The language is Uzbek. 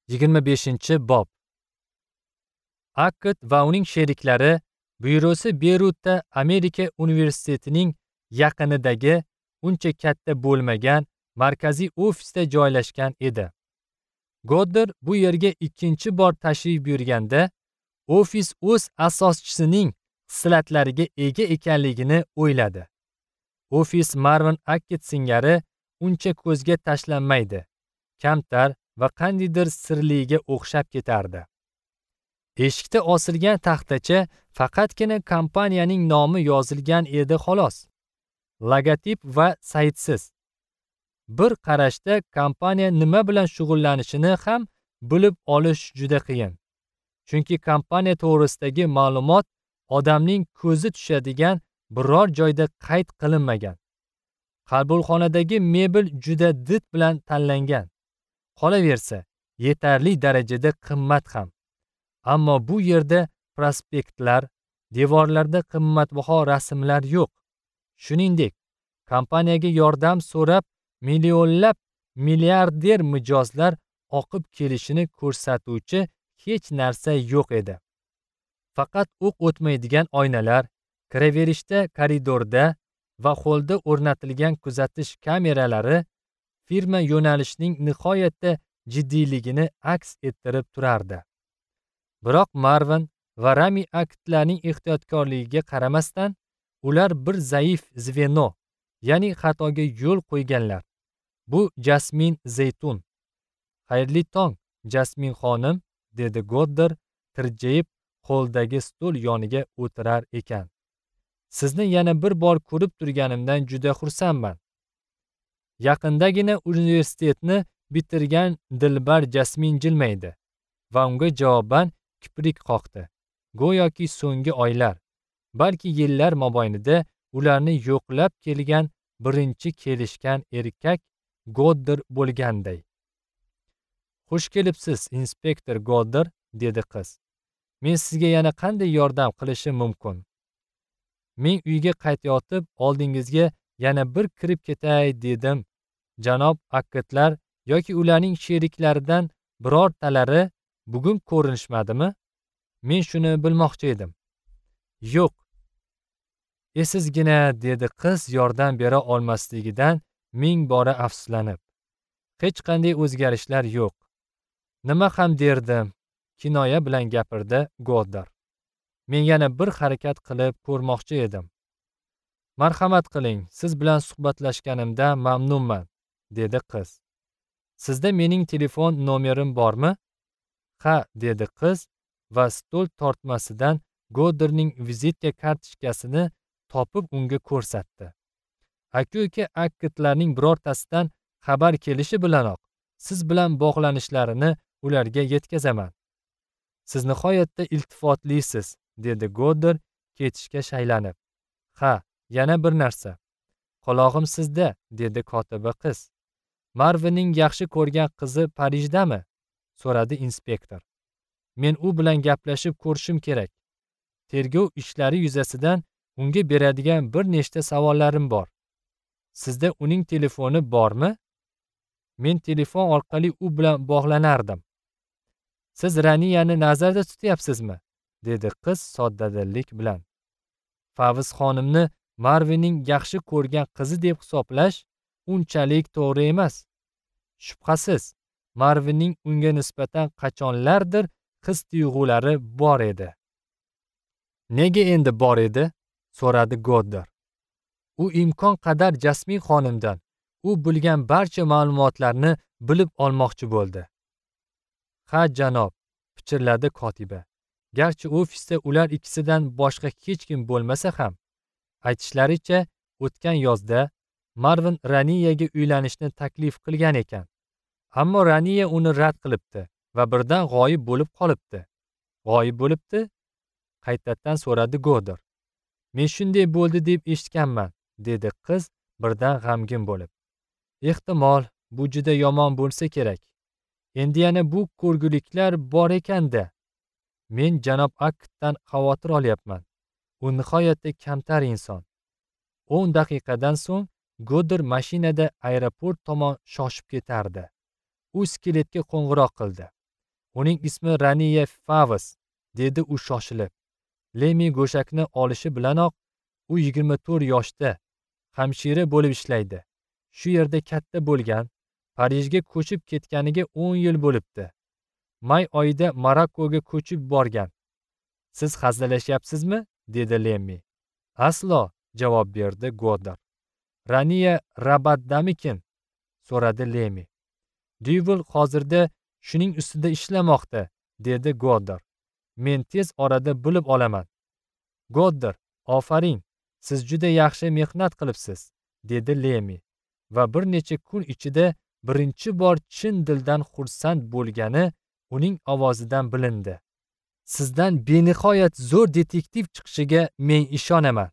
25-bob. Akkad va uning sheriklari byurosi Beyrutda Amerika universitetining yaqinidagi uncha katta bo'lmagan markaziy ofisda joylashgan edi. Goddard bu yerga ikkinchi bor tashrif buyurganda ofis o'z asoschisining xislatlariga ega ekanligini o'yladi. Ofis Marvin Akkad singari uncha ko'zga tashlanmaydi, kamtar va qandaydir sirliga o'xshab ketardi. Eshikda osilgan taxtacha faqatgina kompaniyaning nomi yozilgan edi xolos. Logotip va saytsiz. Bir qarashda kompaniya nima bilan shug'ullanishini ham bilib olish juda qiyin. Chunki kompaniya to'g'risidagi ma'lumot odamning ko'zi tushadigan biror joyda qayd qilinmagan. Qabulxonadagi mebel juda did bilan tanlangan. Qolaversa, yetarli darajada qimmat ham. Ammo bu yerda prospektlar, devorlarda qimmatbaho rasmlar yo'q. Shuningdek, kompaniyaga yordam so'rab millionlab milliarder mijozlar oqib kelishini ko'rsatuvchi hech narsa yo'q edi. Faqat o'q o'tmaydigan oynalar, kiraverishda koridorda va holda o'rnatilgan kuzatish kameralari firma yo'nalishining nihoyatda jiddiyligini aks ettirib turardi. Biroq Marvin va Rami Akkadlarning ehtiyotkorligiga qaramasdan, ular bir zaif zveno, ya'ni xatoga yo'l qo'yganlar. Bu Jasmin Zeytun. Xayrli tong, Jasmin xonim, dedi Goddard tirjayib qo'ldagi stol yoniga o'tirar ekan. Sizni yana bir bor ko'rib turganimdan juda xursandman. Yaqindagina universitetni bitirgan dilbar Jasmin jilmaydi va unga javoban kiprik qoqdi. Go'yoki so'nggi oylar, balki yillar mobaynida ularni yo'qlab kelgan birinchi kelishgan erkak Goddard bo'lganday. Xush kelibsiz, inspektor Goddard, dedi qiz. Men sizga yana qanday yordam qilishim mumkin? Men uyga qaytayotib oldingizga yana bir kirib ketay dedim. Janob Akkadlar yoki ularning sheriklaridan birortalari bugun ko'rinishmadimi? Men shuni bilmoqchi edim. Yo'q. Esizgina, dedi qiz yordam bera olmasligidan ming bora afsuslanib. Hech qanday o'zgarishlar yo'q. Nima ham derdim, kinoya bilan gapirdi Goddard. Men yana bir harakat qilib ko'rmoqchi edim. Marhamat qiling, siz bilan suhbatlashganimdan mamnunman, dedi qiz. Sizda mening telefon nomerim bormi? Ha, dedi qiz va stol tortmasidan Goddardning vizitka kartochkasini topib unga ko'rsatdi. Aka-uka Akkadlarning birortasidan xabar kelishi bilanoq siz bilan bog'lanishlarini ularga yetkazaman. Siz nihoyatda iltifotlisiz, dedi Goddard ketishga shaylanib. Ha, yana bir narsa. Qulog'im sizda, dedi kotiba qiz. Marvinning yaxshi ko'rgan qizi Parijdami? So'radi inspektor. Men u bilan gaplashib ko'rishim kerak. Tergov ishlari yuzasidan unga beradigan bir nechta savollarim bor. Sizda uning telefoni bormi? Men telefon orqali u bilan bog'lanardim. Siz Raniyani nazarda tutyapsizmi? Dedi qiz soddadillik bilan. Favz xonimni Marvinning yaxshi ko'rgan qizi deb hisoblash unchalik to'g'ri emas. Shubhasiz, Marvinning unga nisbatan qachonlardir his-tuyg'ulari bor edi. Nega endi bor edi? So'radi Goddard. U imkon qadar Jasmin xonimdan u bilgan barcha ma'lumotlarni bilib olmoqchi bo'ldi. Ha, janob, pichirladi kotiba. Garchi ofisda ular ikkisidan boshqa hech kim bo'lmasa ham, aytishlaricha, o'tgan yozda Marvin Raniyaga uylanishni taklif qilgan ekan. Ammo Raniya uni rad qilibdi va birdan g'oyib bo'lib qolibdi. G'oyib bo'libdi? Qaytadan so'radi Goddard. Men shunday bo'ldi deb eshitganman, dedi qiz birdan g'amgin bo'lib. Ehtimol, bu juda yomon bo'lsa kerak. Endi yana bu ko'rguliklar bor ekanda. Men janob Akkaddan xavotir olyapman. U nihoyatda kamtar inson. 10 daqiqadan so'ng Goddard mashinada aeroport tomon shoshib ketardi. U skeletga qo'ng'iroq qildi. Uning ismi Raniya Favas, dedi u shoshilib. Lemi go'shakni olishi bilanoq u 24 yoshda, hamshira bo'lib ishlaydi. Shu yerda katta bo'lgan, Parijga ko'chib ketganiga 10 yil bo'libdi. May oyida Marokkoga ko'chib borgan. Siz hazillashyapsizmi? Dedi Lemmi. Aslo, javob berdi Goddard. Raniya Rabatdamikin? So'radi Lemmi. Dyuvel hozirda shuning ustida ishlamoqda, dedi Goddard. Men tez orada bilib olaman. Goddard, ofarin, siz juda yaxshi mehnat qilibsiz, dedi Lemmi va bir necha kun ichida birinchi bor chin dildan xursand bo'lgani uning ovozidan bilindi. Sizdan benihoyat zo'r detektiv chiqishiga men ishonaman.